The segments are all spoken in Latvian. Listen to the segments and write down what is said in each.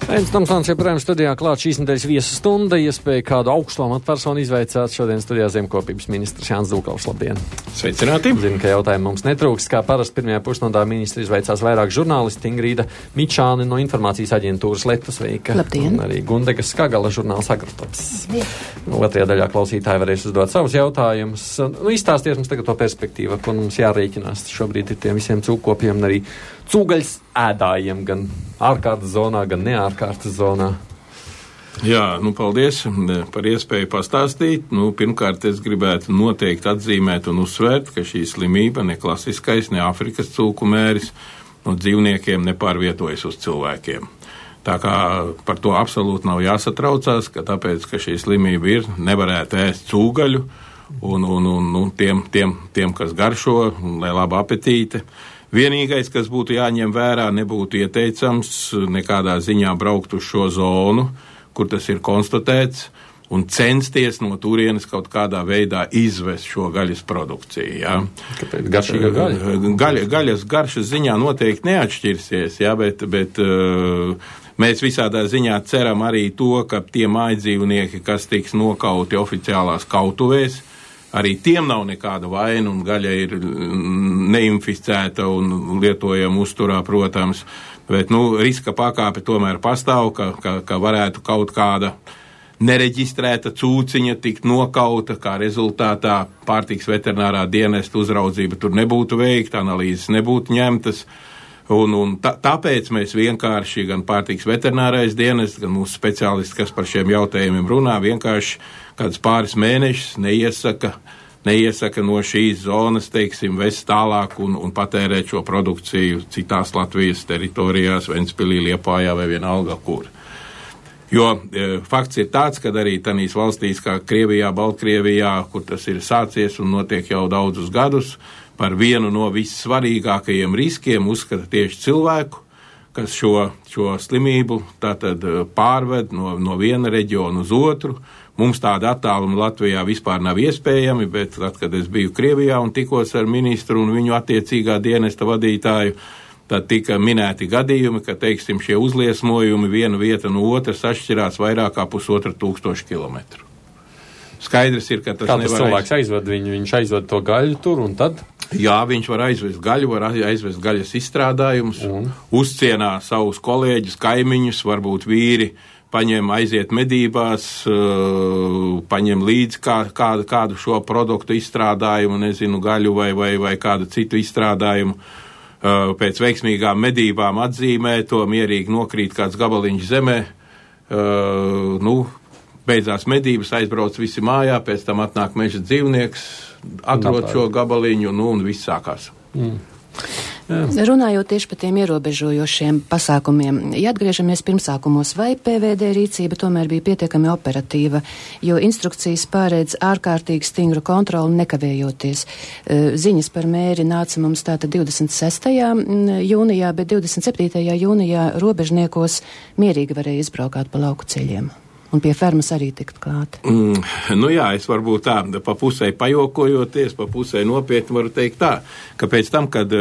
Ains Tomsons joprojām studijā klāt šīs nedēļas viesu stunda, iespēja kādu augstu amatpersonu izvaicāt. Šodien studijā zemkopības ministrs Jānis Dūkals. Labdien! Sveicināti! Zinu, ka jautājumu mums netrūks. Kā parasti pirmajā pusstundā ministri izvaicās vairāk žurnālisti. Ingrīda Mičāne no informācijas aģentūras Leta sveika. Labdien! Un arī Gundega Skagala žurnāls Agrotops. Otrajā daļā klausītāji varēs uzdot savus jautājumus. Izstāsties mums tagad to perspektīvu, ko mums jārēķinās. Šobrīd ir tiem visiem cūkopiem un arī cūgaļas ēdājiem, gan ārkārtas zonā, gan neārkārtas zonā. Jā, paldies par iespēju pastāstīt. Pirmkārt, es gribētu noteikti atzīmēt un uzsvērt, ka šī slimība, ne klasiskais, ne Āfrikas cūku mēris, no dzīvniekiem nepārvietojas uz cilvēkiem. Tā kā par to absolūti nav jāsatraucās, ka tāpēc, ka šī slimība ir, nevarētu ēst cūgaļu un tiem, kas garšo, lai laba apetīte. Vienīgais, kas būtu jāņem vērā, nebūtu ieteicams nekādā ziņā braukt uz šo zonu, kur tas ir konstatēts, un censties no turienes kaut kādā veidā izvest šo gaļas produkciju. Ja? Kāpēc garšīga gaļa? Gaļas garšas ziņā noteikti neatšķirsies, ja? bet mēs visādā ziņā ceram arī to, ka tie mājdzīvnieki, kas tiks nokauti oficiālās kautuvēs, arī tiem nav nekāda vaina, un gaļa ir neinficēta un lietojama uzturā, protams, bet riska pakāpe tomēr pastāv, ka varētu kaut kāda nereģistrēta cūciņa tikt nokauta, kā rezultātā pārtiks veterinārā dienesta uzraudzība tur nebūtu veikta, analīzes nebūtu ņemtas. Tāpēc mēs vienkārši, gan pārtiks veterinārais dienests, gan mūsu speciālisti, kas par šiem jautājumiem runā, vienkārši kāds pāris mēnešus neiesaka no šīs zonas, vest tālāk un patērēt šo produkciju citās Latvijas teritorijās, Ventspilī, Liepājā vai vienalga kur. Jo fakts ir tāds, ka arī tanīs valstīs kā Krievijā, Baltkrievijā, kur tas ir sācies un notiek jau daudzus gadus, par vienu no vissvarīgākajiem riskiem uzskata tieši cilvēku, kas šo slimību tātad pārved no viena reģiona uz otru. Mums tāda attāluma Latvijā vispār nav iespējami, bet tad, kad es biju Krievijā un tikos ar ministru un viņu attiecīgā dienesta vadītāju, tad tika minēti gadījumi, ka, šie uzliesmojumi viena vieta no otras atšķirās vairāk kā 1500 kilometru. Skaidrs ir, ka tas nevar... Kāds cilvēks aizved viņu, viņš aizved to gaļu tur un tad? Jā, viņš var aizvest gaļu, var aizvest gaļas izstrādājumus, uzcienā savus kolēģus, kaimiņus, varbūt vīri aiziet medībās, paņem līdzi kādu šo produktu izstrādājumu, nezinu, gaļu vai kādu citu izstrādājumu. Pēc veiksmīgām medībām atzīmē to, mierīgi nokrīt kāds gabaliņš zemē, beidzās medības, aizbrauc visi mājā, pēc tam atnāk meža dzīvnieks, atrod šo gabaliņu, un viss sākās. Runājot tieši par tiem ierobežojošiem pasākumiem, ja atgriežamies pirmsākumos, vai PVD rīcība tomēr bija pietiekami operatīva, jo instrukcijas pārēdz ārkārtīgi stingru kontroli nekavējoties. Ziņas par mēri nāca mums tātad 26. jūnijā, bet 27. jūnijā robežniekos mierīgi varēja izbraukāt pa lauku ceļiem. Un pie fermas arī tikt klāt. Jā, es varbūt tā, pa pusē pajokojoties, pa pusē nopietni varu teikt tā, ka pēc tam, kad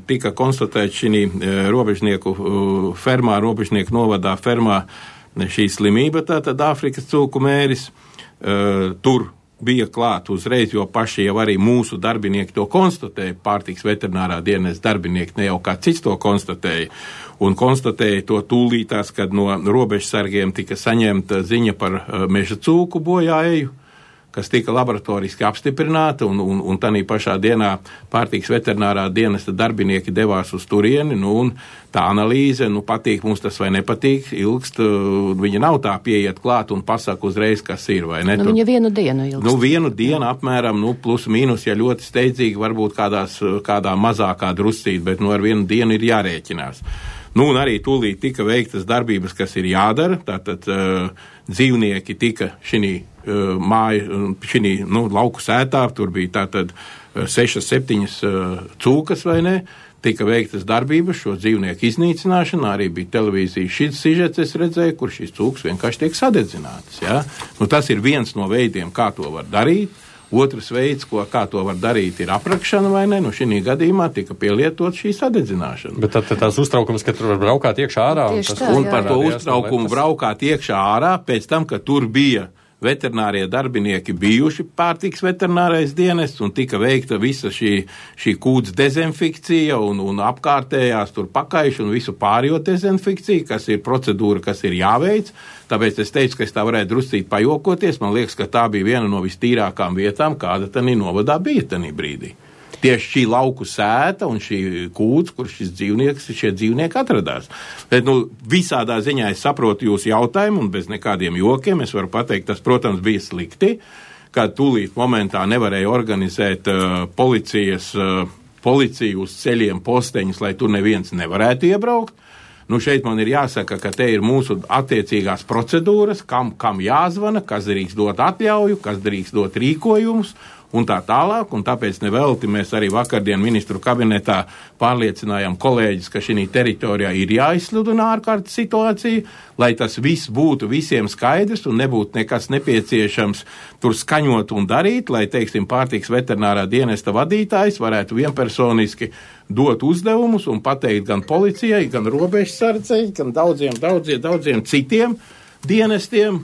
tika konstatēts šī robežnieku fermā, robežnieku novadā fermā šī slimība, tātad Āfrikas cūku mēris, tur bija klāt uzreiz, jo paši jau arī mūsu darbinieki to konstatēja, pārtiks veterinārā dienesta darbinieki, ne jau kā cits to konstatēja, un konstatēja to tūlītās, kad no robežsargiem tika saņemta ziņa par meža cūku bojāeju, kas tika laboratoriski apstiprināta, un tanī pašā dienā pārtiks veterinārā dienesta darbinieki devās uz turieni, un tā analīze, patīk mums tas vai nepatīk, ilgst, viņa nav tā pieiet klāt un pasaka uzreiz, kas ir, vai ne? Viņa vienu dienu ilgst. Vienu dienu apmēram, plus mīnus, ja ļoti steidzīgi, varbūt kādā mazākā druscīt, bet ar vienu dienu ir jārēķinās. Un arī tūlīt tika veiktas darbības, kas ir jādara, tātad dzīvnieki tika lauku sētā, tur bija tātad 6-7 cūkas, vai ne, tika veiktas darbības, šo dzīvnieku iznīcināšana, arī bija televīzijas šis sižets, es redzēju, kur šīs cūkas vienkārši tiek sadedzinātas, ja? Tas ir viens no veidiem, kā to var darīt. Otrs veids, kā to var darīt, ir aprakšana vai ne. Šī gadījumā tika pielietot šī sadedzināšana. Bet tad tās uztraukums, ka tur var braukāt iekšā ārā. Un par to uztraukumu braukāt iekšā ārā, pēc tam, ka tur bija veterinārie darbinieki bijuši pārtiks veterinārais dienests un tika veikta visa šī kūts dezinfekcija un apkārtējās tur pakaiši un visu pārējo dezinfekciju, kas ir procedūra, kas ir jāveic. Tāpēc es teicu, ka es tā varētu druscīt pajokoties. Man liekas, ka tā bija viena no vistīrākām vietām, kāda tanī novadā bija tanī brīdī. Tieši šī lauku sēta un šī kūts, kur šie dzīvnieki atradās. Bet, visādā ziņā es saprotu jūsu jautājumu un bez nekādiem jokiem es varu pateikt, tas, protams, bija slikti, kad tūlīt momentā nevarēja organizēt policiju uz ceļiem posteņus, lai tur neviens nevarētu iebraukt. Šeit man ir jāsaka, ka te ir mūsu attiecīgās procedūras, kam jāzvana, kas drīkst dot atļauju, kas drīkst dot rīkojumus, un tā tālāk, un tāpēc nevelti mēs arī vakardien ministru kabinetā pārliecinājām kolēģis, ka šī teritorijā ir jāizsludina ārkārtas situācija, lai tas viss būtu visiem skaidrs un nebūtu nekas nepieciešams tur skaņot un darīt, lai, teiksim, pārtiks veterinārā dienesta vadītājs varētu vienpersoniski dot uzdevumus un pateikt gan policijai, gan robežsardzei, gan daudziem citiem dienestiem,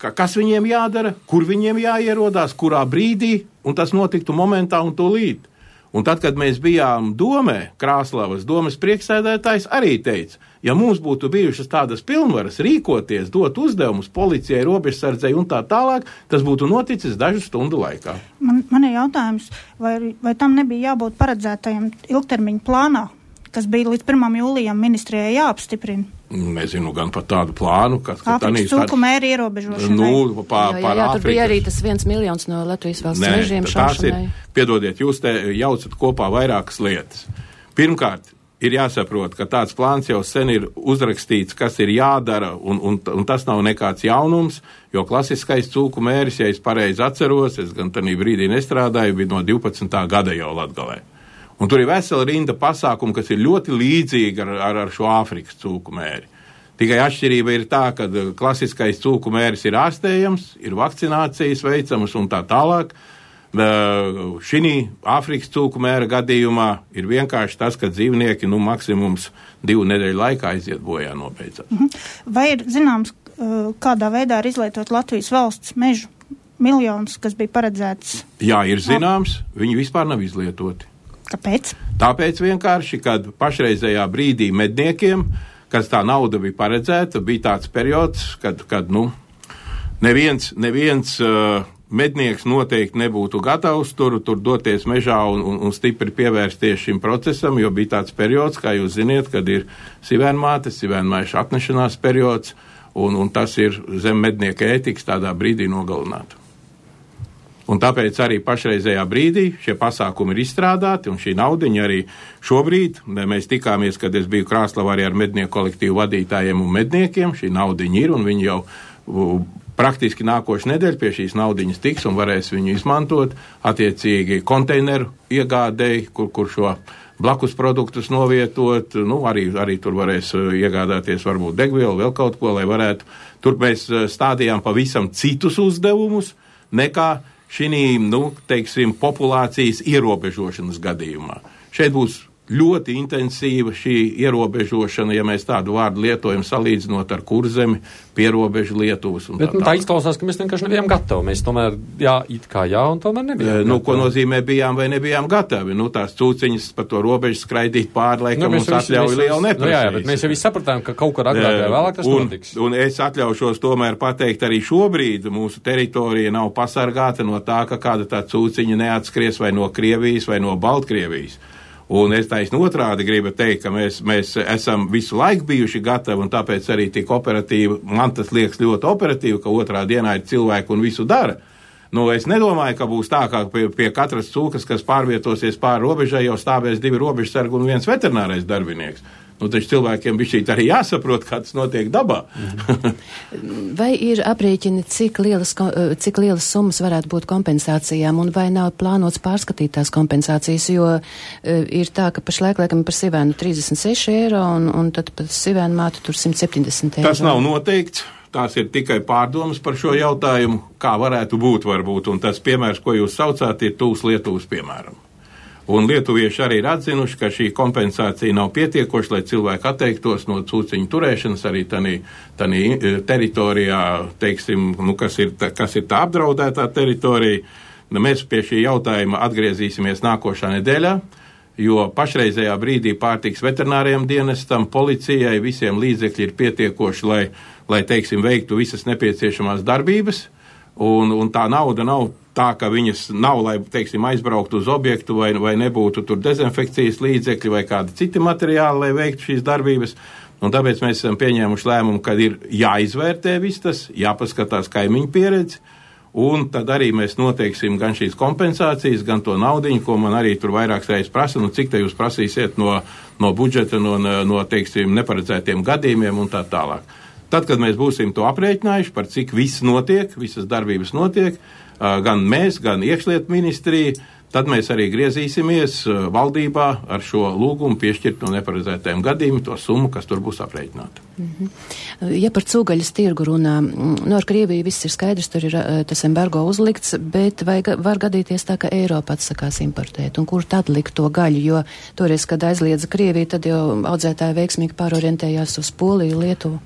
kas viņiem jādara, kur viņiem jāierodās, kurā brīdī, un tas notiktu momentā un tūlīt. Un tad, kad mēs bijām domē, Krāslavas domes priekšsēdētājs arī teica, ja mums būtu bijušas tādas pilnvaras rīkoties, dot uzdevumus policijai, robežsardzei un tā tālāk, tas būtu noticis dažu stundu laikā. Man ir jautājums, vai tam nebija jābūt paredzētajam ilgtermiņa plānā, kas bija līdz 1. jūlijam ministrijai jāapstiprina? Nezinu gan par tādu plānu, Āfrikas cūku mēri ierobežošanai. Tur bija arī tas 1 miljons no Latvijas valsts mežiem šaušanai. Piedodiet, jūs te jaucat kopā vairākas lietas. Pirmkārt, ir jāsaprot, ka tāds plāns jau sen ir uzrakstīts, kas ir jādara, un tas nav nekāds jaunums, jo klasiskais cūku mēris, ja es pareizi atceros, es gan tanī brīdī nestrādāju, bija no 12. gada jau Latgalē. Un tur ir vesela rinda pasākumu, kas ir ļoti līdzīga ar šo Āfrikas cūku mēri. Tikai atšķirība ir tā, ka klasiskais cūku mēris ir ārstējams, ir vakcinācijas veicamas un tā tālāk. Šī Āfrikas cūku mēra gadījumā ir vienkārši tas, ka dzīvnieki maksimums 2 nedēļu laikā aiziet bojā nobeidzās. Vai ir zināms, kādā veidā ir izlietot Latvijas valsts mežu miljonus, kas bija paredzēts? Jā, ir zināms, viņi vispār nav izlietoti. Kāpēc? Tāpēc vienkārši, kad pašreizējā brīdī medniekiem, kad tā nauda bija paredzēta, bija tāds periods, kad neviens mednieks noteikti nebūtu gatavs tur doties mežā un stipri pievērsties šim procesam, jo bija tāds periods, kā jūs ziniet, kad ir sivēnmaišu atnešanās periods, un tas ir zem mednieka ētikas tādā brīdī nogalināt. Un tāpēc arī pašreizējā brīdī šie pasākumi ir izstrādāti, un šī naudiņa arī šobrīd, mēs tikāmies, kad es biju Krāslavā arī ar mednieku kolektīvu vadītājiem un medniekiem, šī naudiņa ir, un viņi jau praktiski nākošu nedēļu pie šīs naudiņas tiks un varēs viņu izmantot attiecīgi konteineru iegādēji, kur šo blakus produktus novietot, arī tur varēs iegādāties varbūt degvielu, vēl kaut ko, lai varētu. Tur mēs stādījām pavisam citus uzdevumus nekā šī, populācijas ierobežošanas gadījumā. Šeit būs ļoti intensīva šī ierobežošana, ja mēs tādu vārdu lietojam salīdzinot ar Kurzemi, pierobežu Lietuvas. Bet tā izklausās, ka mēs vienkārši nebijām gatavi. Mēs tomēr, un tomēr nebijām gatavi. Ko nozīmē bijām vai nebijām gatavi? Tās cūciņas pa to robežu skraidīt pāri, laikam mums atļauj lielu neprasīs. Bet mēs jau visi sapratām, ka kaut kur agrāk vai vēlāk tas notiks. Un es atļaušos tomēr pateikt, arī šobrīd mūsu teritorija nav pasargāta no tā, ka kāda tā cūciņa neatskries vai no Krievijas vai no Baltkrievijas. Un es taisnu otrādi gribu teikt, ka mēs esam visu laiku bijuši gatavi, un tāpēc arī tik operatīvi, man tas liekas ļoti operatīvi, ka otrā dienā ir cilvēki un visu dara. Es nedomāju, ka būs tā, ka pie katras cūkas, kas pārvietosies pāri robežai, jau stāvēs 2 robežsargi un 1 veterinārais darbinieks. Taču cilvēkiem bišķīt arī jāsaprot, kā tas notiek dabā. Vai ir aprēķini, cik lielas summas varētu būt kompensācijām, un vai nav plānots pārskatīt tās kompensācijas, jo ir tā, ka pašlaik laikam par sivēnu 36 eiro, un tad par sivēnu mātu tur 170 eiro. Tas nav noteikts. tās ir tikai pārdomas par šo jautājumu, kā varētu būt varbūt, un tas piemērs, ko jūs saucāt, ir tūs Lietuvas piemēram. Un lietuvieši arī ir atzinuši, ka šī kompensācija nav pietiekoša, lai cilvēki atteiktos no cūciņu turēšanas arī tanī teritorijā, teiksim, kas ir tā apdraudētā teritorija. Mēs pie šī jautājuma atgriezīsimies nākošā nedēļā, jo pašreizējā brīdī pārtiks veterināriem dienestam, policijai, visiem līdzekļi ir pietiekoši, lai teiksim, veiktu visas nepieciešamās darbības, un tā nauda nav tā, ka viņas nav, lai, teiksim, aizbrauktu uz objektu vai nebūtu tur dezinfekcijas līdzekļi vai kādi citi materiāli, lai veiktu šīs darbības. Un tāpēc mēs esam pieņēmuši lēmumu, ka ir jāizvērtē viss tas, jāpaskatās kaimiņu pieredzi, un tad arī mēs noteiksim gan šīs kompensācijas, gan to naudiņu, ko man arī tur vairākas reizes prasa, cik te jūs prasīsiet no budžeta, no teiksim, neparedzētiem gadījumiem un tā tālāk. Tad, kad mēs būsim to aprēķinājuši, par cik viss notiek, visas darbības notiek, gan mēs, gan iekšlietu ministrija, tad mēs arī griezīsimies valdībā ar šo lūgumu piešķirt no neparedzētajiem gadījumiem to summu, kas tur būs aprēķināta. Ja par cūgaļas tirgu runā, ar Krieviju viss ir skaidrs, tur ir tas embargo uzlikts, bet vai var gadīties tā, ka Eiropa atsakās importēt, un kur tad likt to gaļu, jo toreiz, kad aizliedza Krieviju, tad jau audzētāji veiksmīgi pārorientējās uz Poliju, Lietuvu?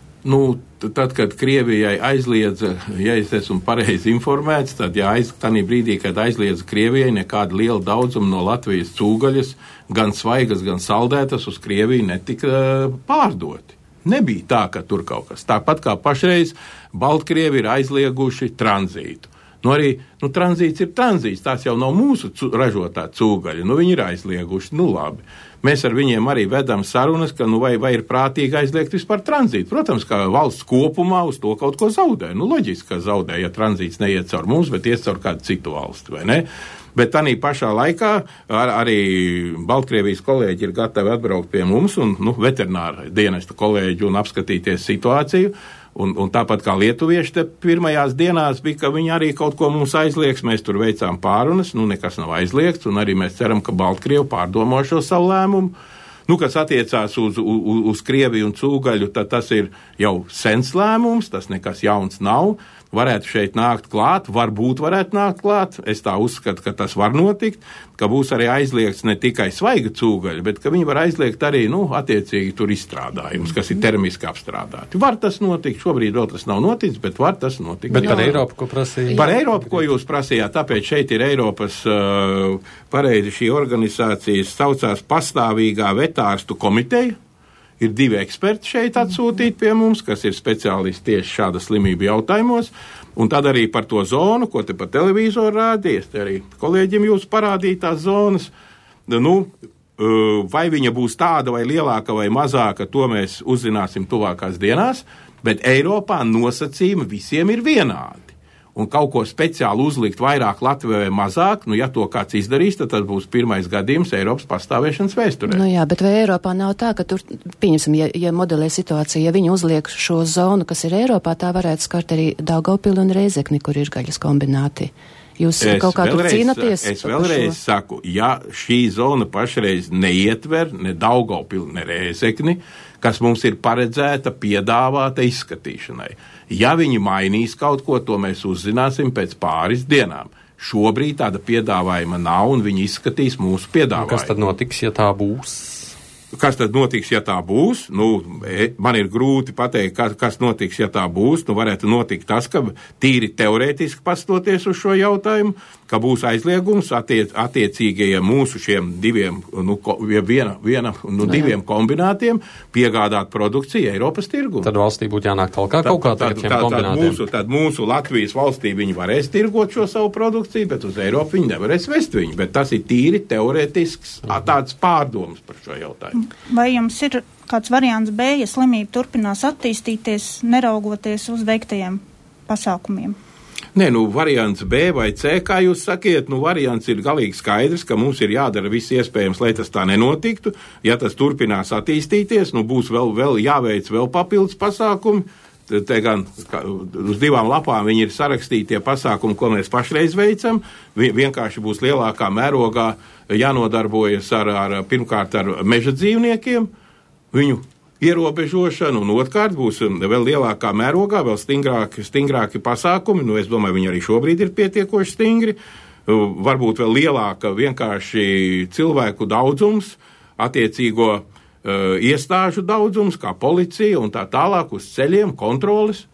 Tad, kad Krievijai aizliedza, ja es esmu pareizi informēts, tad tādā brīdī, kad aizliedza Krievijai, nekāda liela daudzuma no Latvijas cūgaļas, gan svaigas, gan saldētas uz Krieviju netika pārdoti. Nebija tā, ka tur kaut kas. Tāpat kā pašreiz Baltkrievi ir aizlieguši tranzītu. Tranzīts ir tranzīts, tās jau nav mūsu ražotā cūgaļa, viņi ir aizlieguši, labi. Mēs ar viņiem arī vedam sarunas, ka vai ir prātīgi aizliegt vispār tranzītu. Protams, ka valsts kopumā uz to kaut ko zaudē. Loģiski, ka zaudē, ja tranzīts neiet caur mums, bet iet caur kādu citu valsti, vai ne? Bet tādā pašā laikā arī Baltkrievijas kolēģi ir gatavi atbraukt pie mums un veterināra dienesta kolēģi un apskatīties situāciju. Un tāpat kā lietuvieši te pirmajās dienās bija, ka viņi arī kaut ko mums aizliegs, mēs tur veicām pārunas, nekas nav aizliegts, un arī mēs ceram, ka Baltkrievi pārdomā šo savu lēmumu. Kas attiecās uz Krieviju un cūgaļu, tad tas ir jau sens lēmums, tas nekas jauns nav. Varētu šeit nākt klāt, varbūt varētu nākt klāt. Es tā uzskatu, ka tas var notikt, ka būs arī aizliegts ne tikai svaiga cūgaļa, bet ka viņi var aizliegt arī, attiecīgi tur izstrādājumus, kas ir termiski apstrādāti. Var tas notikt, šobrīd vēl tas nav noticis, bet var tas notikt. Bet par Eiropu, ko prasīja? Par Eiropu, ko jūs prasījāt, tāpēc šeit ir Eiropas, pareizi šī organizācija saucās pastāvīgā vetārstu komiteja. Ir 2 eksperti šeit atsūtīti pie mums, kas ir speciālisti tieši šāda slimību jautājumos, un tad arī par to zonu, ko te pa televizoru rādījies, te arī kolēģiem jūs parādīja tās zonas, vai viņa būs tāda vai lielāka vai mazāka, to mēs uzzināsim tuvākās dienās, bet Eiropā nosacījumi visiem ir vienādi. Un kaut ko speciāli uzlikt vairāk Latvijai vai mazāk, ja to kāds izdarīs, tad tas būs pirmais gadījums Eiropas pastāvēšanas vēsturē. Jā, bet vai Eiropā nav tā, ka tur, pieņemsim, ja modelē situācija, ja viņi uzliek šo zonu, kas ir Eiropā, tā varētu skart arī Daugavpili un Rēzekni, kur ir gaļas kombināti. Jūs kaut kā tur cīnaties? Es vēlreiz saku, ja šī zona pašreiz neietver ne Daugavpili, ne Rēzekni, kas mums ir paredzēta, piedāvāta izskatīšanai. Ja viņi mainīs kaut ko, to mēs uzzināsim pēc pāris dienām. Šobrīd tāda piedāvājuma nav, un viņi izskatīs mūsu piedāvājumu. Kas tad notiks, ja tā būs? Kas tad notiks, ja tā būs? Man ir grūti pateikt, kas notiks, ja tā būs. Varētu notikt tas, ka tīri teorētiski pastoties uz šo jautājumu, ka būs aizliegums attiecīgajiem mūsu šiem diviem kombinātiem piegādāt produkciju Eiropas tirgu. Tad valstī būtu jānāk talkā kaut kā tagad šiem kombinātiem. Tad mūsu Latvijas valstī viņi varēs tirgot šo savu produkciju, bet uz Eiropu viņi nevarēs vest viņu. Bet tas ir tīri teorētisks tāds pārdoms par šo jautājumu. Vai jums ir kāds variants B, ja slimība turpinās attīstīties, neraugoties uz veiktajiem pasākumiem? Nē, variants B vai C, kā jūs sakiet, variants ir galīgi skaidrs, ka mums ir jādara viss iespējams, lai tas tā nenotiktu. Ja tas turpinās attīstīties, būs vēl jāveic vēl papildus pasākumi. Te gan uz 2 lapām viņi ir sarakstīti tie pasākumi, ko mēs pašreiz veicam. Vienkārši būs lielākā mērogā jānodarbojas pirmkārt ar meža dzīvniekiem, viņu ierobežošanu, un otrkārt būs vēl lielākā mērogā, vēl stingrāki pasākumi, es domāju, viņi arī šobrīd ir pietiekoši stingri, varbūt vēl lielāka vienkārši cilvēku daudzums, attiecīgo iestāžu daudzums, kā policija un tā tālāk uz ceļiem, kontroles.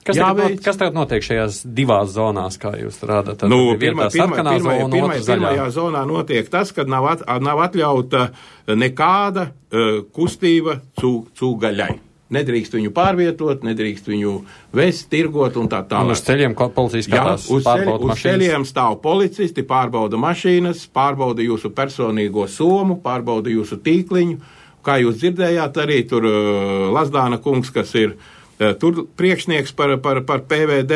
Kas tagad notiek šajās divās zonās, kā jūs rādat? Pirmajā zonā notiek tas, ka nav atļauta nekāda kustība cūgaļai. Nedrīkst viņu pārvietot, nedrīkst viņu vest, tirgot un tā tālāk. Un uz ceļiem policijas skatās, pārbauda mašīnas? Uz ceļiem stāv policisti, pārbauda mašīnas, pārbauda jūsu personīgo somu, pārbauda jūsu tīkliņu. Kā jūs dzirdējāt, arī tur Lazdāna kungs, kas ir tur priekšnieks par PVD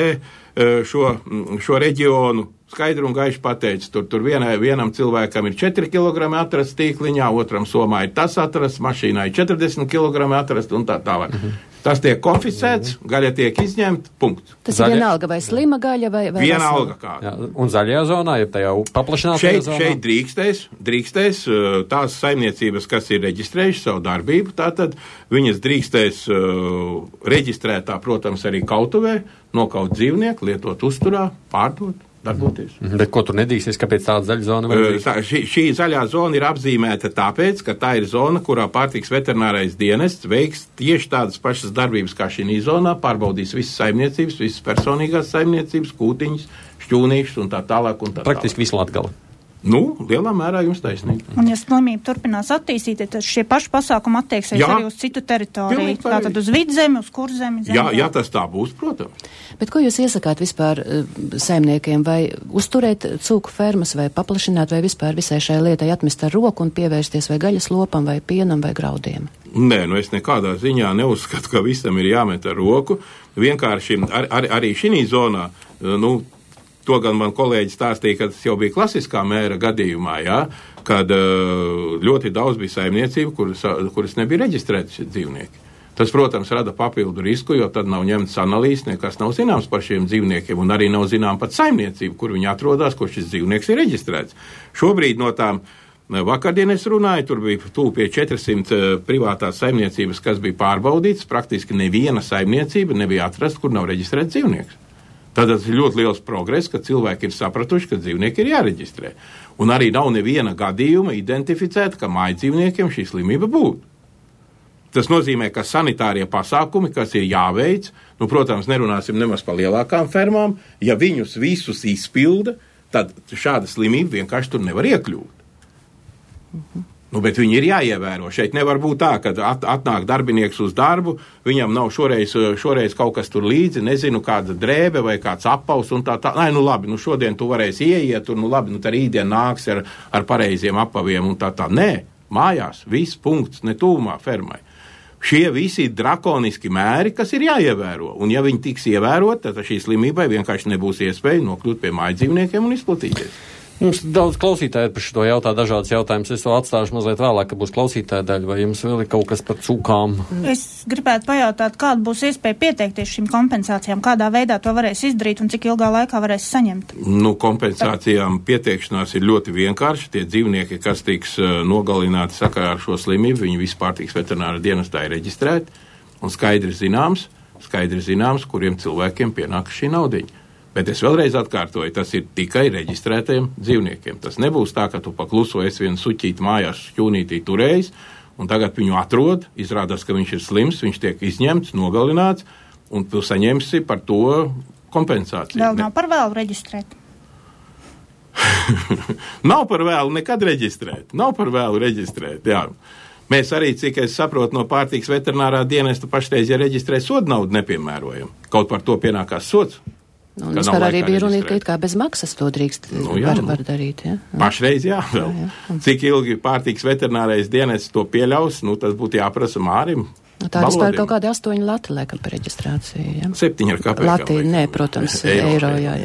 šo reģionu, skaidru un gaiši pateicis, tur vienam cilvēkam ir 4 kg atrast tīkliņā, otram somā ir tas atrast, mašīnā ir 40 kg atrast un tā tālāk. Tas tiek konfiscēts, gaļa tiek izņemta, punkts. Tas ir vienalga vai slima gaļa vai vienalga kāda. Un zaļajā zonā, ja tajā paplašinātajā zonā? Šeit drīkstēs tās saimniecības, kas ir reģistrējuši savu darbību, tātad viņas drīkstēs reģistrētā, protams, arī kautuvē, nokaut dzīvnieku, lietot uzturā, pārdot. Darboties. Bet ko tur nedīsies, kāpēc tāda zaļa zona var? Šī zaļā zona ir apzīmēta tāpēc, ka tā ir zona, kurā pārtiks veterinārais dienests veiks tieši tādas pašas darbības kā šī zonā, pārbaudīs visas saimniecības, visas personīgās saimniecības, kūtiņas, šķūnīšus un tā tālāk un tā tālāk. Praktiski visu Latgali. Lielā mērā jums taisnība. Un ja slimība turpinās attīstīties, tad šie paši pasākumi attieksies arī uz citu teritoriju. Tātad uz vidzemi, uz kurzemi. Jā, tas tā būs, protams. Bet ko jūs iesakāt vispār saimniekiem, vai uzturēt cūku fermas, vai paplašināt, vai vispār visai šai lietai atmest ar roku un pievērsties vai gaļas lopam, vai pienam, vai graudiem? Nē, es nekādā ziņā neuzskatu, ka visam ir jāmet ar roku. Vienkārši arī šī zonā, to gan man kolēģi stāstīja, ka tas jau bija klasiskā mēra gadījumā, kad ļoti daudz bija saimniecību, kuras nebija reģistrētas dzīvnieki. Tas, protams, rada papildu risku, jo tad nav ņemts analīzes, nekas nav zināms par šiem dzīvniekiem, un arī nav zinām pat saimniecību, kur viņi atrodas, kur šis dzīvnieks ir reģistrēts. Šobrīd no tām vakardien es runāju, tur bija tuvu pie 400 privātās saimniecības, kas bija pārbaudītas, praktiski neviena saimniecība nebija atrasta, kur nav reģistrēts dzīvnieks. Tad tas ir ļoti liels progress, ka cilvēki ir sapratuši, ka dzīvnieki ir jāreģistrē. Un arī nav neviena gadījuma identificēta, ka mājdzīvniekiem šī slimība būtu. Tas nozīmē, ka sanitārie pasākumi, kas ir jāveic, protams, nerunāsim nemaz par lielākām fermām, ja viņus visus izpilda, tad šāda slimība vienkārši tur nevar iekļūt. Bet viņi ir jāievēro. Šeit nevar būt tā, ka atnāk darbinieks uz darbu, viņam nav šoreiz kaut kas tur līdzi, nezinu, kāda drēbe vai kāds apaus un tā. Labi, šodien tu varēsi ieiet, un tā rītdien nāks ar pareiziem apaviem un tā. Nē, mājās, viss punkts, ne tūmā fermai. Šie visi ir drakoniski mēri, kas ir jāievēro, un ja viņi tiks ievērot, tad šī slimībai vienkārši nebūs iespēja nokļūt pie mājdzīvniekiem un izplatīties. Jums daudz klausītāji par šo jautā dažādas jautājumus. Es vēl atstāšu mazliet vēlāk, ka būs klausītāja daļa, vai jums vēl ir kaut kas par cūkām? Es gribētu pajautāt, kāda būs iespēja pieteikties šīm kompensācijām, kādā veidā to varēs izdarīt un cik ilgā laikā varēs saņemt? Kompensācijām pieteikšanās ir ļoti vienkārši. Tie dzīvnieki, kas tiks nogalināti sakarā ar šo slimību, viņi visi pārtiks veterināra dienestā ir reģistrēti un skaidri zināms, kuriem cilvēkiem pienāk šī naudiņa. Bet es vēlreiz atkārtoju, tas ir tikai reģistrētajiem dzīvniekiem. Tas nebūs tā, ka tu pakluso esi vienu suķīti mājās šķūnītī turējis, un tagad viņu atrod, izrādās, ka viņš ir slims, viņš tiek izņemts, nogalināts, un tu saņemsi par to kompensāciju. Vēl nav par vēlu reģistrēt. Nav par vēlu nekad reģistrēt, jā. Mēs arī, cik es saprotu, no pārtiks veterinārā dienesta pašreiz, ja reģistrē sodu naudu nepiemērojam. Kaut par to pienākās sods. Un vispār arī bija runīt, ka it kā bez maksas to drīkst var darīt, ja? Pašreiz jā, vēl. Jā. Cik ilgi pārtiks veterinārais dienests to pieļaus, tas būtu jāprasa Mārim. Tā vispār kaut kādi 8 lati, laikam, par reģistrāciju, ja? 7 ar kāpēc. Lati, nē, protams, eiro, jā.